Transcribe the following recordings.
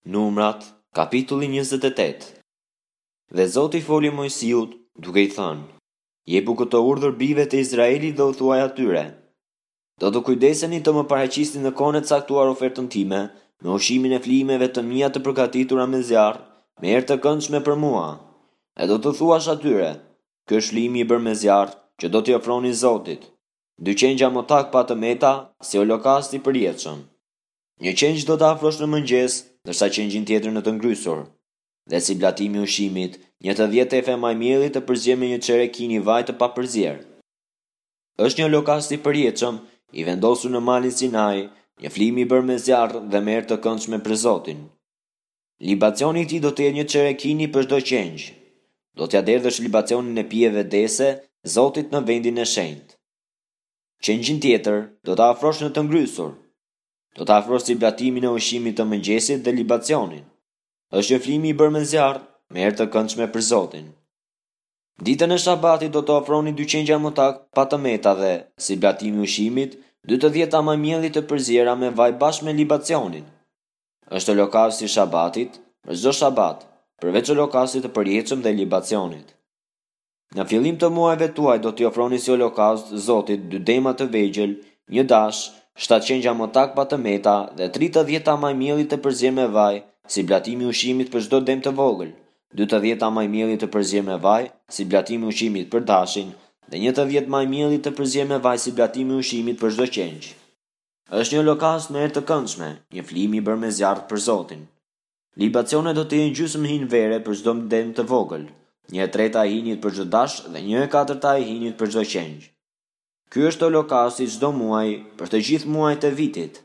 Numrat, kapitulli 28 Dhe Zoti foli Moisiut, duke i thënë, Jepu këtë urdhër bijve të Izraelit dhe u thuaj atyre, Do të kujdeseni të më paraqisni në kohën e caktuar ofertën time, me ushqimin e flijimeve të mia të përgatitura me zjarr, me erë të këndshme për mua. E do t'u thuash atyre, Ky është flijimi i bërë me zjarr, që do t'i ofroni Zotit. Dy qengja motakë pa të meta, si holokaust i përjetshëm. Një qengj do ta afrosh në mëngjes, ndërsa qengjin tjetër në të ngrysur. Dhe si blatim i ushqimit, një të dhjetë efe majë mielli të përzier me një çerek hini vaj të papërzier. Është një holokaust i përjetshëm, i vendosur në malin Sinai, një flijim i bërë me zjarr dhe me erë të këndshme për Zotin. Libacioni i tij do të jetë një çerek hini për çdo qengj. Do t'ia derdhësh libacionin e pijeve dehëse Zotit në vendin e shenjtë. Qengjin tjetër do ta afrosh në të ngrysur. Do ta afrosh si blatimin e ushqimit të mëngjesit dhe libacionin. Është një flijim i bërë me zjarr, me erë të këndshme për Zotin. Ditën e Shabatit do të ofroni dy qengja motakë pa të meta dhe, si blatim i ushqimit, dy të dhjeta majë mielli të përziera me vaj bashkë me libacionin. Është holokausti i Shabatit, për çdo Shabat, përveç holokaustit të përjetshëm dhe libacionit. Në fillim të muajve tuaj do t'i ofroni si holokaust Zotit dy dema të vegjël, një dash, shtatë qengja motakë pa të meta dhe tri të dhjeta majë mielli të përzier me vaj, si blatim i ushqimit për çdo dem të vogël, dy të dhjeta majë mielli të përzier me vaj, si blatim i ushqimit për dashin, dhe një të dhjetë majë mielli të përzier me vaj si blatim i ushqimit për çdo qengj. Është një holokaust me erë të këndshme, një flijim i bërë me zjarr për Zotin. Libacionet do të jenë gjysmë hin vere për çdo dem të vogël, një e treta e hinit për çdo dash dhe një e katërta e hinit për çdo qengj. Ky është holokausti i çdo muaji për të gjithë muajt e vitit.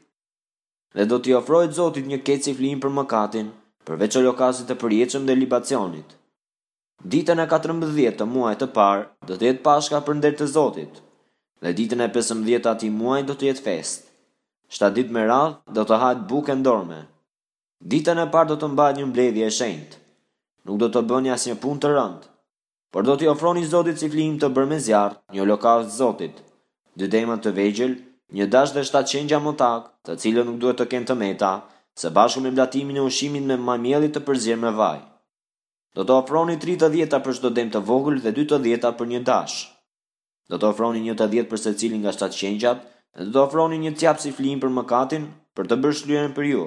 Dhe do t'i ofrohet Zotit një kec si flijim për mëkatin, përveç holokaustit të përjetshëm dhe libacionit. Ditën e 14 të muajit të parë do të jetë Pashka për nder të Zotit, dhe ditën e 15 të atij muaji do të jetë festë. Shtatë ditë me radhë do të hahet bukë e ndorme. Ditën e parë do të mbahet një mbledhje e shenjtë. Nuk do të bëni asnjë punë të rëndë. Por do t'i ofroni Zotit si flijim të bërë me zjarr, një holokaust Zotit, dy dema të vegjël, një dash dhe shtatë qengja motakë, të cilët nuk duhet të kenë të meta, së bashku me blatimin e ushqimit me majë mielli të përzier me vaj. Do të ofroni tri të dhjeta për çdo dem të vogël dhe dy të dhjeta për një dash. Do të ofroni një të dhjetë për secilin nga shtatë qengjat dhe do të ofroni një cjap si flijim për mëkatin, për të bërë shlyerjen për ju.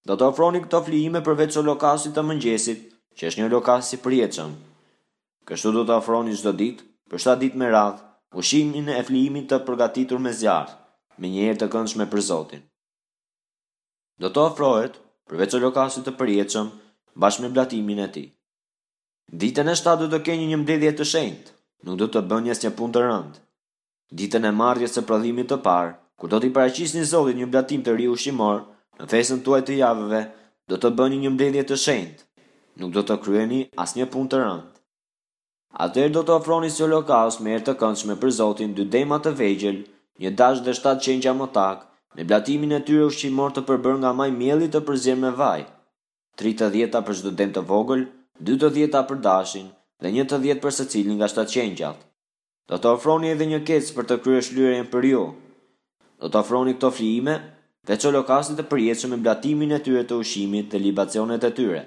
Do të ofroni këto flijime përveç holokaustit të mëngjesit, që është një holokaust i përjetshëm. Kështu do të ofroni çdo ditë, për shtatë ditë me radhë, ushqimin e flijimit të përgatitur me zjarr, me një erë të këndshme për Zotin. Do të ofrohet, përveç holokaustit të përjetshëm, bashkë me blatimin e tij. Ditën e shtatë do të keni një mbledhje të shenjtë, nuk do të bëni asnjë punë të rëndë. Ditën e marrjes së prodhimit të parë, kur do t'i paraqisni Zotit një blatim të ri ushqimor, në festën tuaj të javëve, do të bëni një mbledhje të shenjtë, nuk do të kryeni asnjë punë të rëndë. Atëherë do të ofroni si holokaust me erë të këndshme për Zotin dy dema të vegjël, një dash dhe shtatë qengja motakë, me blatimin e tyre ushqimor të përbërë nga majë mielli të përzier me vaj. Tri të dhjeta për çdo dem të vogël, dy të dhjeta për dashin dhe një të dhjetë për secilin nga shtatë qengjat. Do të ofroni edhe një kec për të kryer shlyerjen për ju. Do të ofroni këto flijime, veç holokaustit të përjetshëm me blatimin e tyre të ushqimit dhe libacionet e tyre.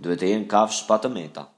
Duhet të jenë kafshë pa të meta.